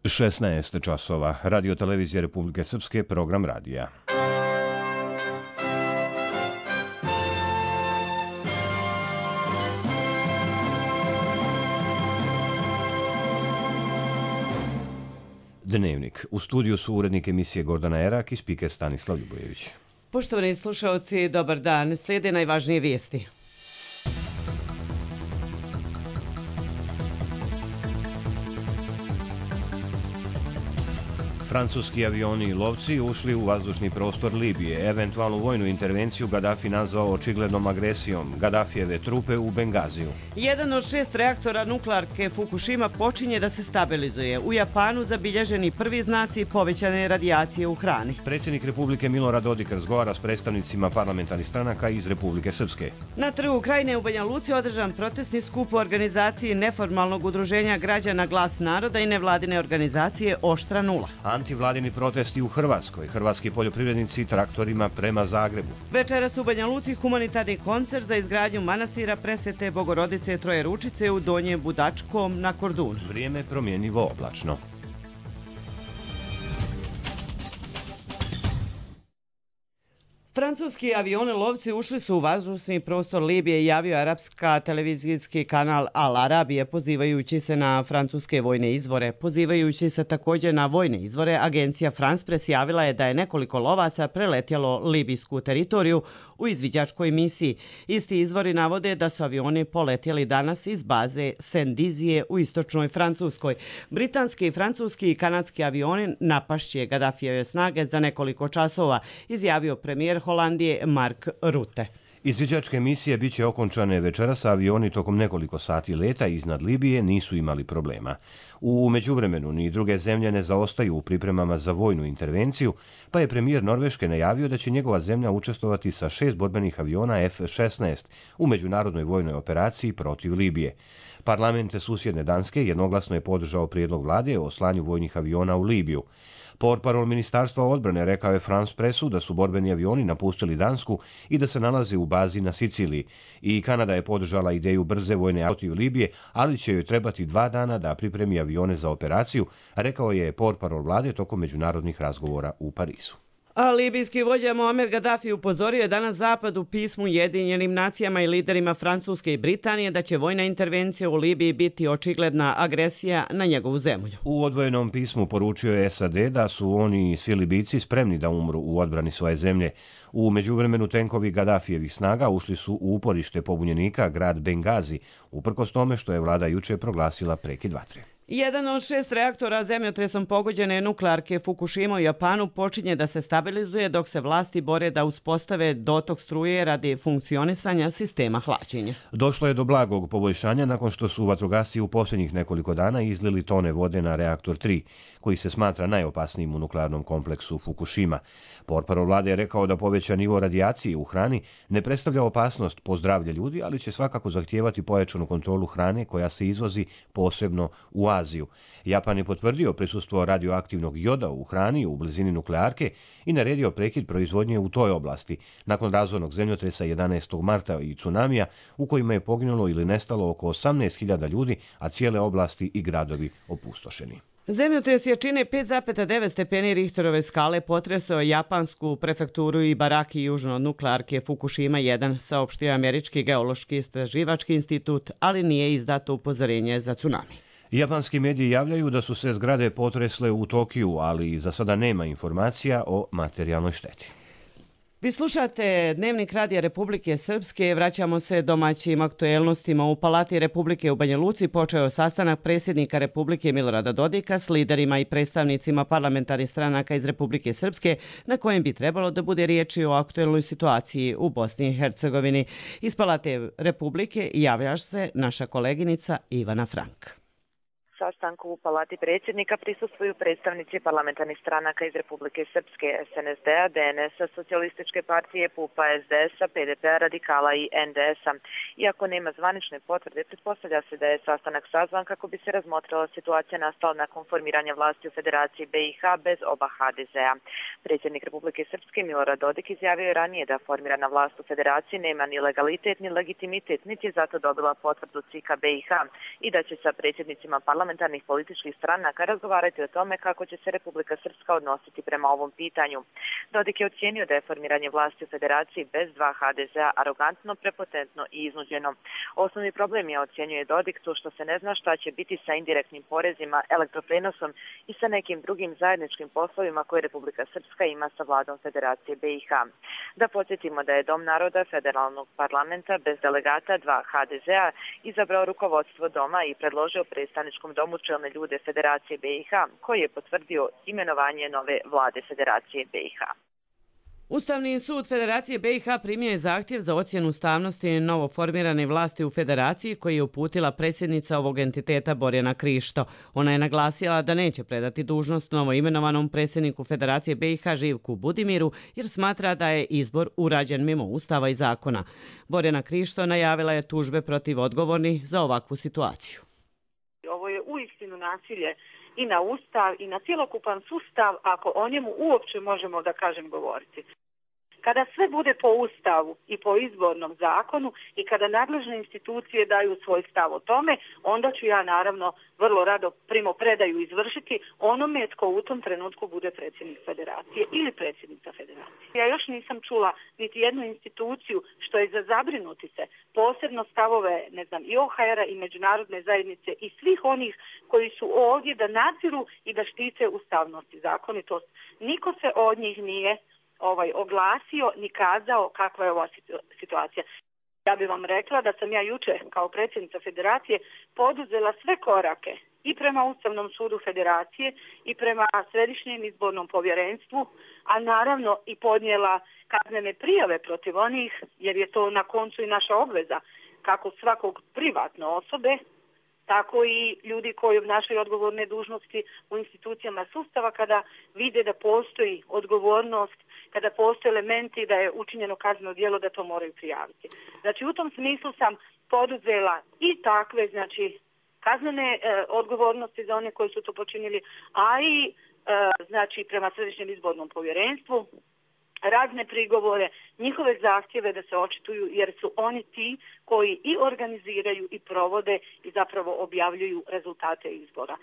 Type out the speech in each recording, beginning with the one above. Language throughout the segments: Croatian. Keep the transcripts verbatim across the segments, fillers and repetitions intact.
šesnaest časova. Radio televizije Republike Srpske, program radija. Dnevnik. U studiju su urednik emisije Gordana Erak i spiker Stanislav Ljubojević. Poštovani slušalci, dobar dan. Slijede najvažnije vijesti. Francuski avioni i lovci ušli u vazdušni prostor Libije. Eventualnu vojnu intervenciju Gaddafi nazvao očiglednom agresijom. Gaddafijeve trupe u Bengaziju. Jedan od šest reaktora nuklearke Fukushima počinje da se stabilizuje. U Japanu zabilježeni prvi znaci povećane radijacije u hrani. Predsjednik Republike Milorad Dodik razgovara s predstavnicima parlamentarnih stranaka iz Republike Srpske. Na trgu Krajine u Banja Luci održan protestni skup u organizaciji neformalnog udruženja građana Glas naroda i nevladine organizacije Oštra nula. Antivladini protesti u Hrvatskoj. Hrvatski poljoprivrednici traktorima prema Zagrebu. Večeras u Banja Luci humanitarni koncert za izgradnju manastira Presvete Bogorodice Troje Ručice u Donjem Budačkom na Kordunu. Vrijeme promjenjivo oblačno. Francuski avioni lovci ušli su u vazdušni prostor Libije, javio arapska televizijski kanal Al Arabije, pozivajući se na francuske vojne izvore. Pozivajući se također na vojne izvore, agencija France Press javila je da je nekoliko lovaca preletjelo libijsku teritoriju u izviđačkoj misiji. Isti izvori navode da su avioni poletjeli danas iz baze Sendizije u istočnoj Francuskoj. Britanski, francuski i kanadski avioni napašće Gaddafijeve snage za nekoliko časova, izjavio premijer Holandije Mark Rutte. Izviđačke misije bit će okončane večeras, a avioni tokom nekoliko sati leta iznad Libije nisu imali problema. U međuvremenu ni druge zemlje ne zaostaju u pripremama za vojnu intervenciju, pa je premijer Norveške najavio da će njegova zemlja učestvovati sa šest borbenih aviona F šesnaest u međunarodnoj vojnoj operaciji protiv Libije. Parlament susjedne Danske jednoglasno je podržao prijedlog vlade o slanju vojnih aviona u Libiju. Portparol Ministarstva odbrane rekao je France Pressu da su borbeni avioni napustili Dansku i da se nalaze u bazi na Siciliji. I Kanada je podržala ideju brze vojne protiv Libije, ali će joj trebati dva dana da pripremi avione za operaciju, rekao je portparol vlade tokom međunarodnih razgovora u Parizu. A libijski vođa Muammar Gaddafi upozorio je danas Zapad u pismu Ujedinjenim nacijama i liderima Francuske i Britanije da će vojna intervencija u Libiji biti očigledna agresija na njegovu zemlju. U odvojenom pismu poručio je S A D da su oni i svi Libijci spremni da umru u odbrani svoje zemlje. U međuvremenu tenkovi Gaddafijevih snaga ušli su u uporište pobunjenika grad Bengazi, uprkos tome što je vlada juče proglasila prekid vatre. Jedan od šest reaktora zemljotresom pogođene nuklearke Fukushima u Japanu počinje da se stabilizuje dok se vlasti bore da uspostave dotok struje radi funkcionisanja sistema hlađenja. Došlo je do blagog poboljšanja nakon što su vatrogasci u posljednjih nekoliko dana izlili tone vode na reaktor tri, koji se smatra najopasnijim u nuklearnom kompleksu Fukushima. Portparol vlade je rekao da povećan nivo radijacije u hrani ne predstavlja opasnost po zdravlje ljudi, ali će svakako zahtijevati pojačanu kontrolu hrane koja se izvozi posebno u Aziju. Japan je potvrdio prisustvo radioaktivnog joda u hrani u blizini nuklearke i naredio prekid proizvodnje u toj oblasti nakon razornog zemljotresa jedanaestog marta i tsunamija u kojima je poginulo ili nestalo oko osamnaest hiljada ljudi, a cijele oblasti i gradovi opustošeni. Zemljotres jačine pet zarez devet stepeni Richterove skale potresao japansku prefekturu Ibaraki južno od nuklearke Fukushima jedan, saopštio Američki geološki istraživački institut, ali nije izdato upozorenje za tsunami. Japanski mediji javljaju da su se zgrade potresle u Tokiju, ali za sada nema informacija o materijalnoj šteti. Vi slušate Dnevnik Radija Republike Srpske. Vraćamo se domaćim aktuelnostima. U Palati Republike u Banja Luci počeo sastanak predsjednika Republike Milorada Dodika s liderima i predstavnicima parlamentarnih stranaka iz Republike Srpske, na kojem bi trebalo da bude riječi o aktuelnoj situaciji u Bosni i Hercegovini. Iz Palate Republike javlja se naša koleginica Ivana Frank. Sastanku u Palati predsjednika prisustvuju predstavnici parlamentarnih stranaka iz Republike Srpske, S N S D-a, D N S-a, Socijalističke partije, P U P-a, S D S-a, P D P-a, Radikala i N D S-a. Iako nema zvanične potvrde, pretpostavlja se da je sastanak sazvan kako bi se razmotrila situacija nastala nakon formiranja vlasti u Federaciji B i H bez oba H D Z-a. Predsjednik Republike Srpske Milorad Dodik izjavio je ranije da formirana vlast u Federaciji nema ni legalitet ni legitimitet, niti je zato dobila potvrdu C I K-a B i H i da će sa predsjednicima parlamentarnih parlamentarnih političkih stranaka razgovarati o tome kako će se Republika Srpska odnositi prema ovom pitanju. Dodik je ocijenio da je formiranje vlasti u federaciji bez dva ha de zea arogantno, prepotentno i iznuđeno. Osnovni problem je, ocjenjuje Dodik, to što se ne zna šta će biti sa indirektnim porezima, elektroprenosom i sa nekim drugim zajedničkim poslovima koje Republika Srpska ima sa vladom Federacije be i ha. Da podsjetimo da je Dom naroda federalnog parlamenta bez delegata dva ha de zea izabrao rukovodstvo doma i predložio predstavničkom domu čelne ljude Federacije be i ha, koji je potvrdio imenovanje nove vlade Federacije be i ha. Ustavni sud Federacije be i ha primio je zahtjev za ocjenu ustavnosti novoformirane vlasti u Federaciji koji je uputila predsjednica ovog entiteta Borjana Krišto. Ona je naglasila da neće predati dužnost novoimenovanom predsjedniku Federacije be i ha Živku Budimiru jer smatra da je izbor urađen mimo Ustava i zakona. Borjana Krišto najavila je tužbe protiv odgovornih za ovakvu situaciju. Ovo je uistinu nasilje i na Ustav i na cjelokupan sustav, ako o njemu uopće možemo, da kažem, govoriti. Kada sve bude po Ustavu i po izbornom zakonu i kada nadležne institucije daju svoj stav o tome, onda ću ja naravno vrlo rado primopredaju izvršiti onome tko u tom trenutku bude predsjednik federacije ili predsjednica federacije. Ja još nisam čula niti jednu instituciju što je za zabrinuti se, posebno stavove, ne znam, i o ha era i međunarodne zajednice i svih onih koji su ovdje da nadziru i da štite ustavnost i zakonitost. Niko se od njih nije ovaj oglasio ni kazao kakva je ova situacija. Ja bih vam rekla da sam ja juče kao predsjednica federacije poduzela sve korake i prema Ustavnom sudu federacije i prema Središnjem izbornom povjerenstvu, a naravno i podnijela kaznene prijave protiv onih, jer je to na koncu i naša obveza, kako svakog privatne osobe, tako i ljudi koji obnašaju odgovorne dužnosti u institucijama sustava kada vide da postoji odgovornost, kada postoje elementi da je učinjeno kazneno djelo, da to moraju prijaviti. Znači u tom smislu sam poduzela i takve, znači, kaznene e, odgovornosti za one koji su to počinili, a i e, znači prema Središnjem izbornom povjerenstvu razne prigovore, njihove zahtjeve da se očituju jer su oni ti koji i organiziraju i provode i zapravo objavljuju rezultate izbora.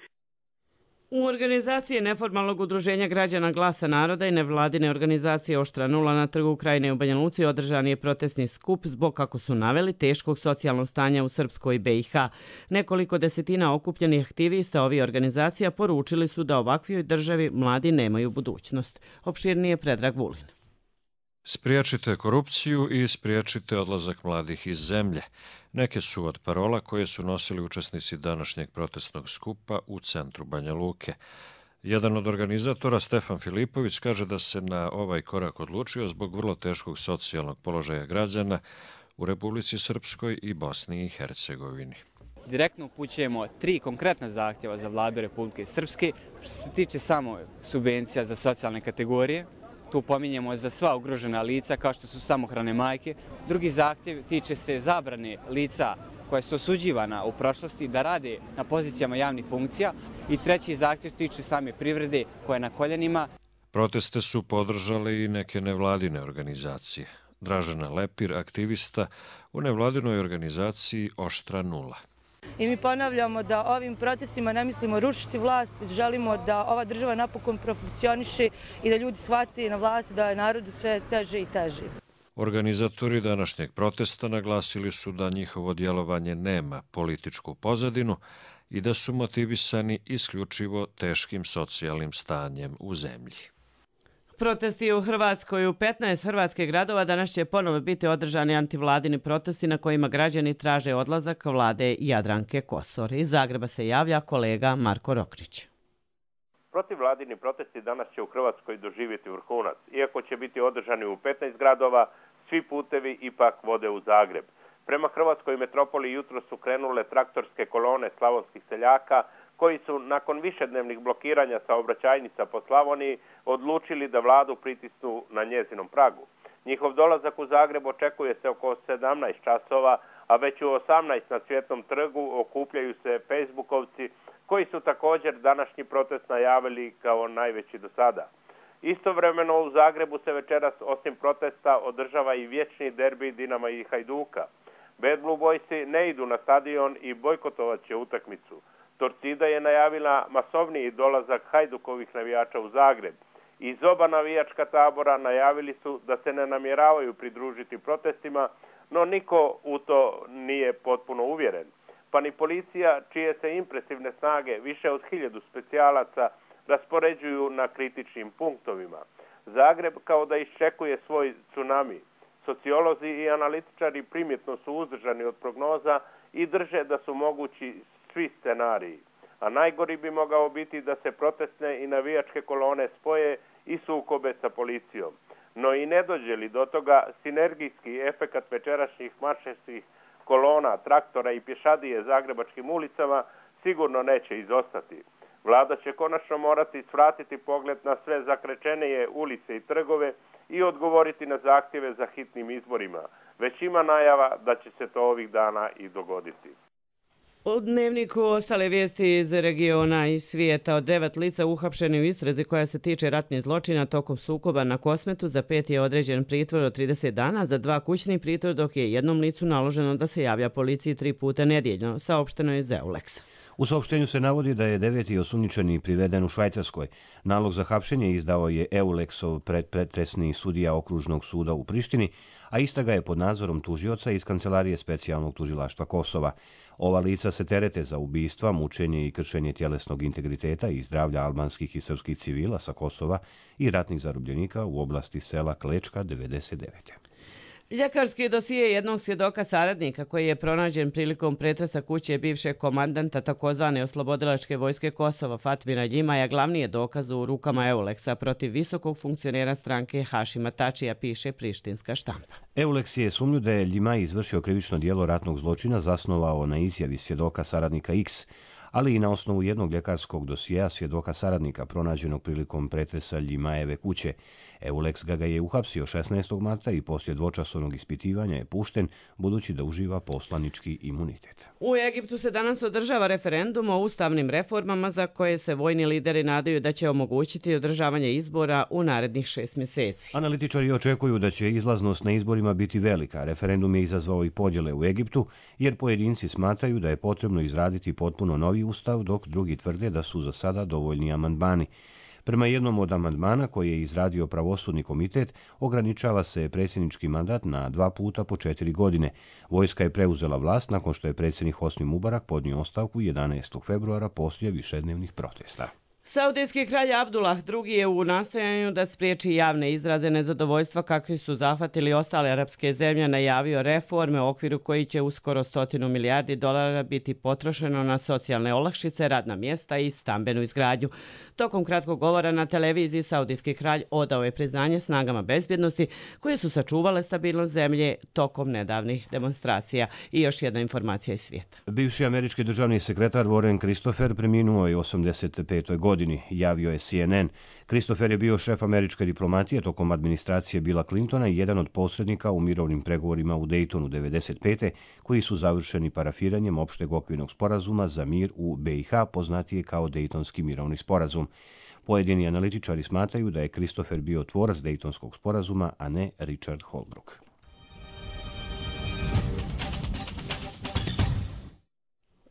U organizaciji neformalnog udruženja građana Glasa naroda i nevladine organizacije Oštra nula na trgu Krajine u Banja Luci održan je protestni skup zbog, kako su naveli, teškog socijalnog stanja u Srpskoj be i ha. Nekoliko desetina okupljenih aktivista ovih organizacija poručili su da ovakvoj državi mladi nemaju budućnost. Opširnije Predrag Vulin. Spriječite korupciju i spriječite odlazak mladih iz zemlje. Neke su od parola koje su nosili učesnici današnjeg protestnog skupa u centru Banja Luke. Jedan od organizatora, Stefan Filipović, kaže da se na ovaj korak odlučio zbog vrlo teškog socijalnog položaja građana u Republici Srpskoj i Bosni i Hercegovini. Direktno upućujemo tri konkretna zahtjeva za vladu Republike Srpske. Što se tiče samo subvencija za socijalne kategorije, tu pominjemo za sva ugrožena lica kao što su samohrane majke. Drugi zahtjev tiče se zabrane lica koja su osuđivana u prošlosti da rade na pozicijama javnih funkcija. I treći zahtjev tiče same privrede koja je na koljenima. Proteste su podržale i neke nevladine organizacije. Dražena Lepir, aktivista u nevladinoj organizaciji Oštra nula. I mi ponavljamo da ovim protestima ne mislimo rušiti vlast, već želimo da ova država napokon profunkcioniše i da ljudi shvate na vlasti da je narodu sve teže i teže. Organizatori današnjeg protesta naglasili su da njihovo djelovanje nema političku pozadinu i da su motivisani isključivo teškim socijalnim stanjem u zemlji. Protesti u Hrvatskoj. U petnaest hrvatskih gradova danas će ponovo biti održani antivladini protesti na kojima građani traže odlazak vlade Jadranke Kosor. Iz Zagreba se javlja kolega Marko Rokrić. Protivvladini protesti danas će u Hrvatskoj doživjeti vrhunac. Iako će biti održani u petnaest gradova, svi putevi ipak vode u Zagreb. Prema Hrvatskoj metropoli jutro su krenule traktorske kolone slavonskih seljaka, koji su nakon višednevnih blokiranja saobraćajnica po Slavoniji odlučili da vladu pritisnu na njezinom pragu. Njihov dolazak u Zagreb očekuje se oko sedamnaest časova, a već u osamnaest na Cvjetnom trgu okupljaju se Facebookovci koji su također današnji protest najavili kao najveći do sada. Istovremeno u Zagrebu se večeras osim protesta održava i vječni derbi Dinama i Hajduka. Bad Blue Boysi ne idu na stadion i bojkotovat će utakmicu. Torcida je najavila masovniji dolazak Hajdukovih navijača u Zagreb. Iz oba navijačka tabora najavili su da se ne namjeravaju pridružiti protestima, no niko u to nije potpuno uvjeren. Pa ni policija, čije se impresivne snage više od hiljadu specijalaca raspoređuju na kritičnim punktovima. Zagreb kao da iščekuje svoj tsunami. Sociolozi i analitičari primjetno su uzdržani od prognoza i drže da su mogući svi scenariji. A najgori bi mogao biti da se protestne i navijačke kolone spoje i sukobe sa policijom. No i ne dođe li do toga, sinergijski efekat večerašnjih marševskih kolona, traktora i pješadije zagrebačkim ulicama sigurno neće izostati. Vlada će konačno morati svratiti pogled na sve zakrečenije ulice i trgove i odgovoriti na zahtjeve za hitnim izborima. Već ima najava da će se to ovih dana i dogoditi. U Dnevniku ostale vijesti iz regiona i svijeta. Od devet lica uhapšeni u istrazi koja se tiče ratnih zločina tokom sukoba na Kosmetu, za pet je određen pritvor od trideset dana, za dva kućni pritvor, dok je jednom licu naloženo da se javlja policiji tri puta nedjeljno, saopšteno je iz Euleksa. U saopštenju se navodi da je deveti osumnjičeni priveden u Švajcarskoj. Nalog za hapšenje izdao je Euleksov predpretresni sudija okružnog suda u Prištini, a istraga je pod nadzorom tužioca iz Kancelarije specijalnog tužilaštva Kosova. Ova lica se terete za ubistva, mučenje i kršenje tjelesnog integriteta i zdravlja albanskih i srpskih civila sa Kosova i ratnih zarobljenika u oblasti sela Klečka devedeset devete. Ljekarski dosije jednog svjedoka saradnika koji je pronađen prilikom pretresa kuće bivšeg komandanta takozvane oslobodilačke vojske Kosova Fatmira Ljimaja glavni je dokaz u rukama Euleksa protiv visokog funkcionera stranke Hašima Tačija, piše prištinska štampa. Euleks je sumnju da je Ljimaj izvršio krivično djelo ratnog zločina zasnovao na izjavi svjedoka saradnika X, ali i na osnovu jednog ljekarskog dosijeja svjedoka saradnika pronađenog prilikom pretresa Ljimajeve kuće. Euleks ga ga je uhapsio šesnaestog marta i poslije dvočasovnog ispitivanja je pušten, budući da uživa poslanički imunitet. U Egiptu se danas održava referendum o ustavnim reformama za koje se vojni lideri nadaju da će omogućiti održavanje izbora u narednih šest mjeseci. Analitičari očekuju da će izlaznost na izborima biti velika. Referendum je izazvao i podjele u Egiptu, jer pojedinci smatraju da je potrebno izraditi potpuno novi ustav, dok drugi tvrde da su za sada dovoljni amandmani. Prema jednom od amandmana koji je izradio pravosudni komitet, ograničava se predsjednički mandat na dva puta po četiri godine. Vojska je preuzela vlast nakon što je predsjednik Hosni Mubarak podnio ostavku jedanaestog februara poslije višednevnih protesta. Saudijski kralj Abdullah drugi je u nastojanju da spriječi javne izraze nezadovoljstva kakvi su zahvatili ostale arapske zemlje najavio reforme u okviru koji će uskoro stotinu milijardi dolara biti potrošeno na socijalne olakšice, radna mjesta i stambenu izgradnju. Tokom kratkog govora na televiziji saudijski kralj odao je priznanje snagama bezbjednosti koje su sačuvale stabilnost zemlje tokom nedavnih demonstracija. I još jedna informacija iz svijeta. Bivši američki državni sekretar Warren Christopher preminuo je u osamdeset petoj godini, javio je C N N. Christopher je bio šef američke diplomatije tokom administracije Billa Clintona i jedan od posrednika u mirovnim pregovorima u Daytonu devedeset pete koji su završeni parafiranjem opšteg okvirnog sporazuma za mir u B i H, poznatije kao Daytonski mirovni sporazum. Pojedini analitičari smatraju da je Christopher bio tvorac Daytonskog sporazuma, a ne Richard Holbrooke.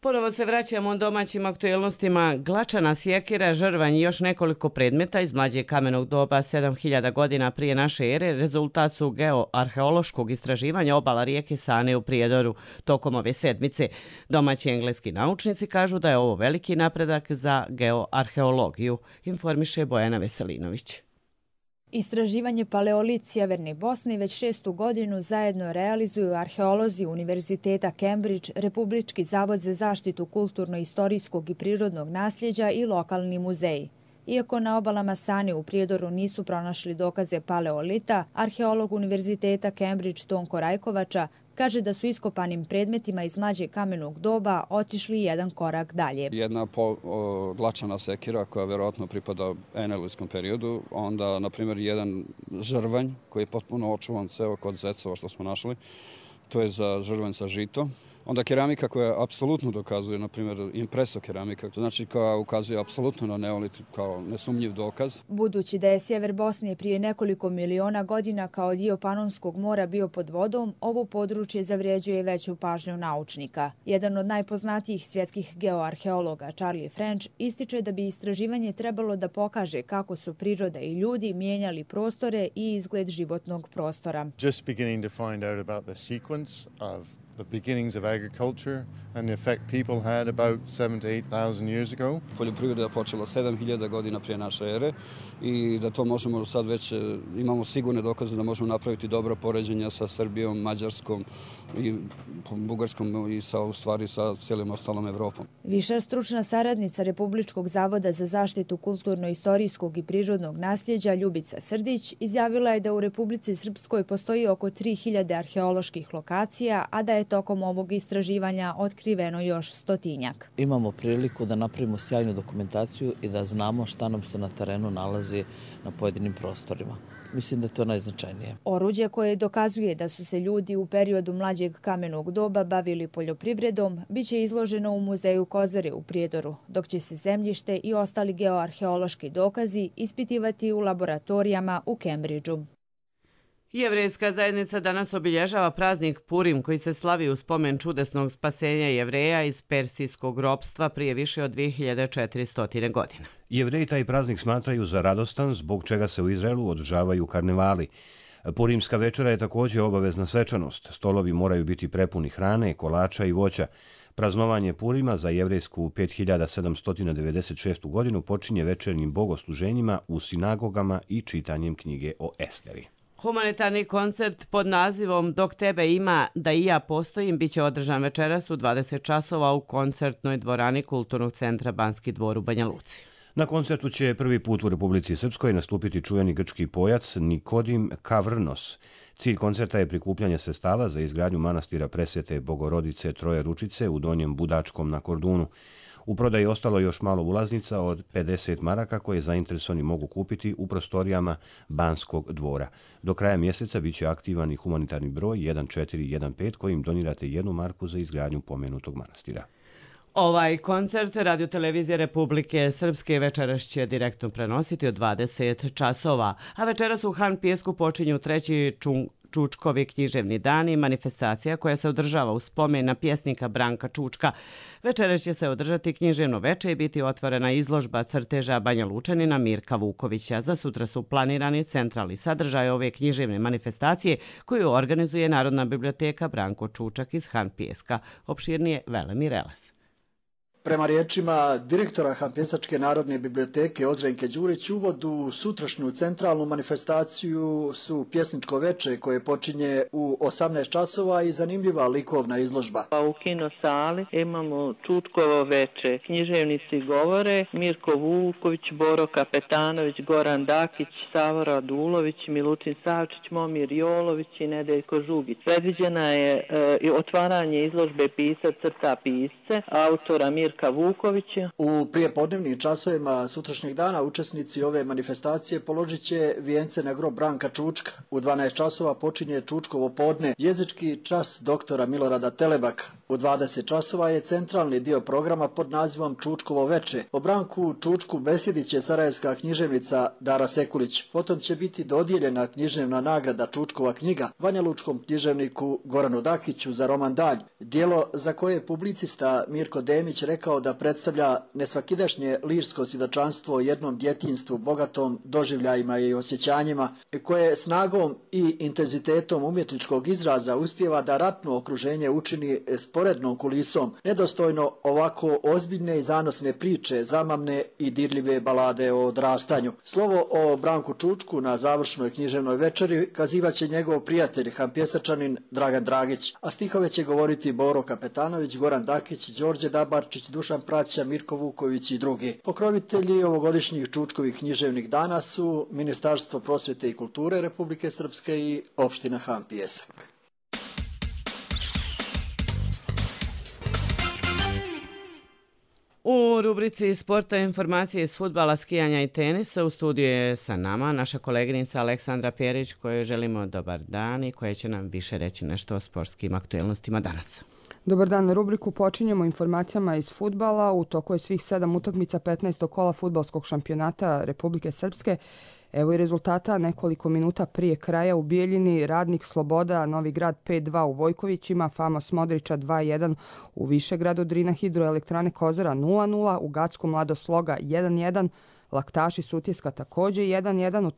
Ponovo se vraćamo domaćim aktuelnostima. Glačana sjekira, žrvanj i još nekoliko predmeta iz mlađeg kamenog doba sedam hiljada godina prije naše ere rezultat su geoarheološkog istraživanja obala rijeke Sane u Prijedoru tokom ove sedmice. Domaći engleski naučnici kažu da je ovo veliki napredak za geoarheologiju, informiše Bojana Veselinović. Istraživanje paleolit Sjeverne Bosne već šestu godinu zajedno realizuju arheolozi Univerziteta Cambridge, Republički zavod za zaštitu kulturno-istorijskog i prirodnog nasljeđa i lokalni muzeji. Iako na obalama Sane u Prijedoru nisu pronašli dokaze paleolita, arheolog Univerziteta Cambridge Tonko Rajkovača kaže da su iskopanim predmetima iz mlađeg kamenog doba otišli jedan korak dalje. Jedna glačana sekira koja vjerojatno pripada enelitskom periodu, onda, na primjer, jedan žrvanj koji je potpuno očuvan ceo kod zecova što smo našli, to je za žrvanj sa žito. Onda keramika koja apsolutno dokazuje, na primjer impreso keramika, znači koja ukazuje apsolutno na neolit kao nesumnjiv dokaz. Budući da je sjever Bosne prije nekoliko miliona godina kao dio Panonskog mora bio pod vodom, ovo područje zavređuje veću pažnju naučnika. Jedan od najpoznatijih svjetskih geoarheologa, Charlie French, ističe da bi istraživanje trebalo da pokaže kako su priroda i ljudi mijenjali prostore i izgled životnog prostora. Just beginning to find out about the sequence of the beginnings of agriculture and the effect people had about seven to eight thousand years ago. Poljoprivreda je počela sedam hiljada godina prije naše ere i da to možemo sad već imamo sigurne dokaze da možemo napraviti dobro poređenja sa Srbijom, Mađarskom i Bugarskom i sa u stvari sa cijelim ostalom Evropom. Viša stručna saradnica Republičkog zavoda za zaštitu kulturno-istorijskog i prirodnog nasljeđa Ljubica Srdić izjavila je da u Republici Srpskoj postoji oko tri hiljade arheoloških lokacija, a da je tokom ovog istraživanja otkriveno još stotinjak. Imamo priliku da napravimo sjajnu dokumentaciju i da znamo šta nam se na terenu nalazi na pojedinim prostorima. Mislim da je to najznačajnije. Oruđe koje dokazuje da su se ljudi u periodu mlađeg kamenog doba bavili poljoprivredom biće izloženo u muzeju Kozare u Prijedoru, dok će se zemljište i ostali geoarheološki dokazi ispitivati u laboratorijama u Kembridžu. Jevrejska zajednica danas obilježava praznik Purim koji se slavi u spomen čudesnog spasenja Jevreja iz persijskog ropstva prije više od dvije hiljade četiristo godina. Jevreji taj praznik smatraju za radostan, zbog čega se u Izraelu održavaju karnevali. Purimska večera je također obavezna svečanost. Stolovi moraju biti prepuni hrane, kolača i voća. Praznovanje Purima za jevrejsku pet hiljada sedamsto devedeset šestu godinu počinje večernjim bogosluženjima u sinagogama i čitanjem knjige o Esteri. Humanitarni koncert pod nazivom Dok tebe ima, da i ja postojim biće održan večeras u dvadeset časova u koncertnoj dvorani Kulturnog centra Banski dvor u Banja Luci. Na koncertu će prvi put u Republici Srpskoj nastupiti čuveni grčki pojac Nikodim Kavrnos. Cilj koncerta je prikupljanje sredstava za izgradnju manastira Presvete Bogorodice Troje Ručice u Donjem Budačkom na Kordunu. U prodaji ostalo još malo ulaznica od pedeset maraka koje zainteresovani mogu kupiti u prostorijama Banskog dvora. Do kraja mjeseca bit će aktivan i humanitarni broj jedan četiri jedan pet kojim donirate jednu marku za izgradnju pomenutog manastira. Ovaj koncert Radiotelevizije Republike Srpske večeras će direktno prenositi od dvadeset časova, a večeras u Han Pijesku počinju treći čung Čučkovi književni dani, manifestacija koja se održava u spomen na pjesnika Branka Čučka. Večeras će se održati književno veče i biti otvorena izložba crteža Banja Lučanina Mirka Vukovića. Za sutra su planirani centralni sadržaj ove književne manifestacije koju organizuje Narodna biblioteka Branko Čučak iz Han Pijeska. Opširnije Velemir Elas. Prema riječima direktora Hanpjesačke narodne biblioteke Ozrenke Đurić, uvod u sutrašnju centralnu manifestaciju su pjesničko veče koje počinje u osamnaest časova i zanimljiva likovna izložba. U kino sali imamo Čučkovo veče, književnici govore, Mirko Vuković, Boro Kapetanović, Goran Dakić, Savo Radulović, Milutin Savčić, Momir Jolović i Nedeljko Žugić. Predviđena je e, otvaranje izložbe Pisac crta pisce, autora Mirka Vukovića. U prijepodnevnim časovima sutrašnjeg dana učesnici ove manifestacije položit će vijence na grob Branka Čučka. U dvanaest časova počinje Čučkovo podne, jezički čas doktora Milorada Telebaka. U dvadeset časova je centralni dio programa pod nazivom Čučkovo veče. O Branku Čučku besjedit će sarajevska književnica Dara Sekulić. Potom će biti dodijeljena književna nagrada Čučkova knjiga banjalučkom književniku Goranu Dakiću za roman Dalj. Dijelo za koje je publicista Mirko Demić rekao da predstavlja nesvakidašnje lirsko svjedočanstvo o jednom djetinjstvu bogatom doživljajima i osjećanjima, koje snagom i intenzitetom umjetničkog izraza uspijeva da ratno okruženje učini sporednom kulisom, nedostojno ovako ozbiljne i zanosne priče, zamamne i dirljive balade o odrastanju. Slovo o Branku Čučku na završnoj književnoj večeri kazivaće njegov prijatelj Hanpjesačanin Dragan Dragić, a stihove će govoriti Boro Kapetanović, Goran Dakić, Đorđe Dabarčić, Dušan Praća, Mirko Vuković i drugi. Pokrovitelji ovogodišnjih Čučkovih književnih dana su Ministarstvo prosvjete i kulture Republike Srpske i opština Han Pijesak. U rubrici sporta informacije iz fudbala, skijanja i tenisa u studiju je sa nama naša koleginica Aleksandra Pjerić kojoj želimo dobar dan i koja će nam više reći nešto o sportskim aktuelnostima danas. Dobar dan, na rubriku počinjemo informacijama iz fudbala. U toku je svih sedam utakmica petnaestog kola fudbalskog šampionata Republike Srpske. Evo i rezultata nekoliko minuta prije kraja. U Bijeljini Radnik Sloboda, Novi Grad pet dva u Vojkovićima, Famos Modrića dva jedan u Višegradu, Drina Hidroelektrane Kozara nula nula, u Gacku Mlado Sloga jedan jedan, Laktaši Sutjeska također jedan jedan, u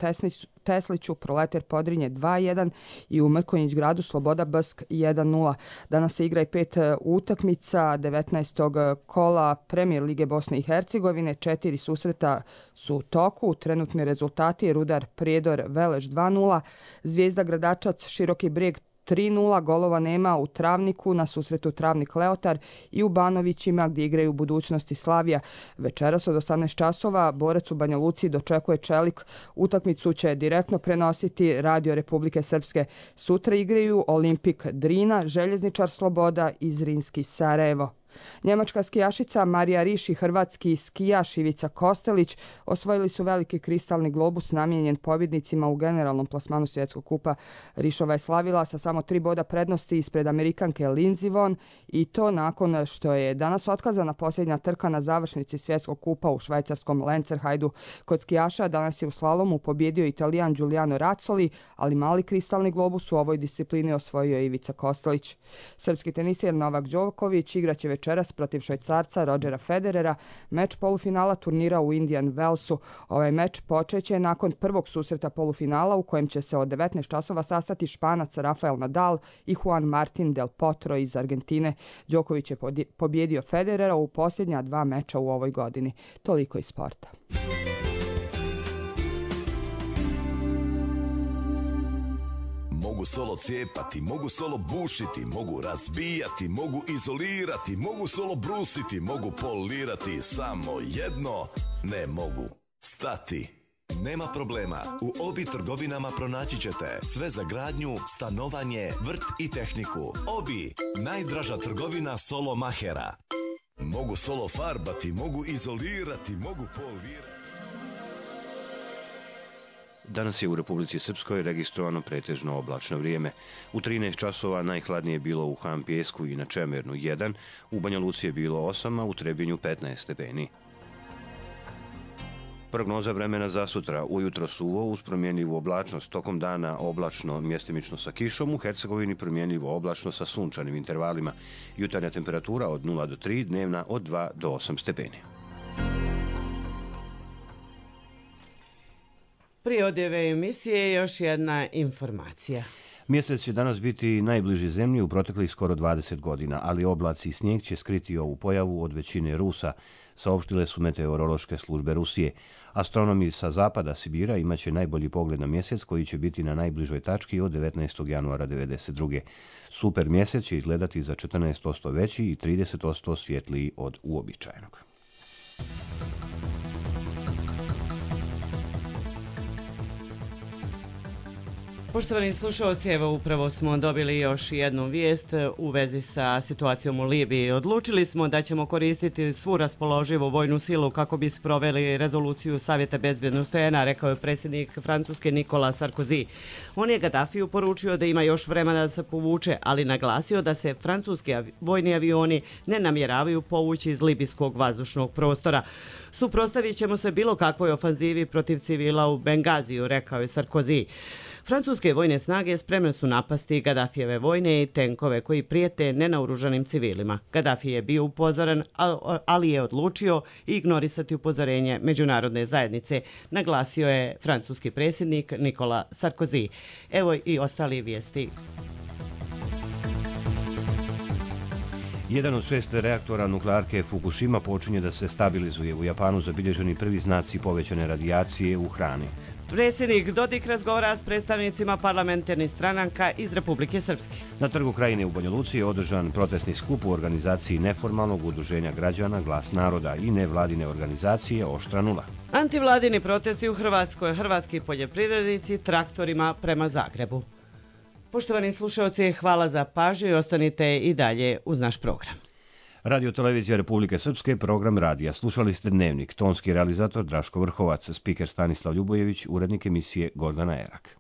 Tesliću Proleter Podrinje dva jedan i u Mrkonjić Gradu Sloboda Bsk jedan nula. Danas se igra i pet utakmica devetnaestog kola Premijer Lige Bosne i Hercegovine. Četiri susreta su u toku. Trenutni rezultati: Rudar Prijedor Veleš dva nula, Zvijezda Gradačac Široki Brijeg tri nula, golova nema u Travniku, na susretu Travnik Leotar i u Banovićima gdje igraju Budućnost i Slavija. Večeras od osamnaest časova Borac u Banja Luci dočekuje Čelik. Utakmicu će direktno prenositi Radio Republike Srpske. Sutra igraju Olimpik Drina, Željezničar Sloboda i Zrinski Sarajevo. Njemačka skijašica Marija Riš i hrvatski skijaš Ivica Kostelić osvojili su veliki kristalni globus namijenjen pobjednicima u generalnom plasmanu svjetskog kupa. Rišova je slavila sa samo tri boda prednosti ispred Amerikanke Lindsey Vonn i to nakon što je danas otkazana posljednja trka na završnici svjetskog kupa u švajcarskom Lenzerheidu. Kod skijaša danas je u slalomu pobjedio Italijan Giuliano Razzoli, ali mali kristalni globus u ovoj disciplini osvojio je Ivica Kostelić. Srpski teniser Novak Đoković igraće večeras protiv Švajcarca Rodgera Federera meč polufinala turnira u Indian Wellsu. Ovaj meč počeće nakon prvog susreta polufinala u kojem će se od devetnaest časova sastati Španac Rafael Nadal i Juan Martin del Potro iz Argentine. Đoković je pobjedio Federera u posljednja dva meča u ovoj godini. Toliko iz sporta. Mogu solo cijepati, mogu solo bušiti, mogu razbijati, mogu izolirati, mogu solo brusiti, mogu polirati, samo jedno ne mogu stati. Nema problema, u Obi trgovinama pronaći ćete sve za gradnju, stanovanje, vrt i tehniku. Obi, najdraža trgovina solo mahera. Mogu solo farbati, mogu izolirati, mogu polirati. Danas je u Republici Srpskoj registrovano pretežno oblačno vrijeme. U trinaest časova najhladnije je bilo u Han Pijesku i na Čemernu jedan, u Banja Luci je bilo osam, a u Trebinju petnaest stepeni. Prognoza vremena za sutra: ujutro suvo uz promjenljivu oblačnost, tokom dana oblačno mjestimično sa kišom, u Hercegovini promjenljivo oblačno sa sunčanim intervalima. Jutarnja temperatura od nula do tri, dnevna od dva do osam stepeni. Prije odjeve emisije još jedna informacija. Mjesec će danas biti najbliži zemlji u proteklih skoro dvadeset godina, ali oblaci i snijeg će skriti ovu pojavu od većine Rusa, saopštile su meteorološke službe Rusije. Astronomi sa zapada Sibira imaće najbolji pogled na mjesec koji će biti na najbližoj tački od devetnaestog januara devedeset druge. Super mjesec će izgledati za četrnaest posto veći i trideset posto svjetliji od uobičajenog. Poštovani slušalci, evo upravo smo dobili još jednu vijest u vezi sa situacijom u Libiji. Odlučili smo da ćemo koristiti svu raspoloživu vojnu silu kako bi sproveli rezoluciju Savjeta bezbjednosti O N A, rekao je predsjednik Francuske Nikola Sarkozy. On je Gaddafiju poručio da ima još vremena da se povuče, ali naglasio da se francuski vojni avioni ne namjeravaju povući iz libijskog vazdušnog prostora. Suprotstavit ćemo se bilo kakvoj ofanzivi protiv civila u Bengaziju, rekao je Sarkozy. Francuske vojne snage spremne su napasti Gaddafijeve vojne i tenkove koji prijete nenaoružanim civilima. Gaddafi je bio upozoren, ali je odlučio ignorisati upozorenje međunarodne zajednice, naglasio je francuski predsjednik Nikola Sarkozy. Evo i ostali vijesti. Jedan od šest reaktora nuklearke Fukushima počinje da se stabilizuje. U Japanu zabilježeni prvi znaci povećane radijacije u hrani. Predsjednik Dodik razgovara s predstavnicima parlamentarnih stranaka iz Republike Srpske. Na Trgu Krajine u Banja Luci je održan protestni skup u organizaciji neformalnog udruženja građana Glas naroda i nevladine organizacije Oštra nula. Antivladini protesti u Hrvatskoj, hrvatski poljoprivrednici traktorima prema Zagrebu. Poštovani slušalci, hvala za pažnju i ostanite i dalje uz naš program. Radio Televizija Republike Srpske, program radija. Slušali ste Dnevnik, tonski realizator Draško Vrhovac, spiker Stanislav Ljubojević, urednik emisije Gordana Erak.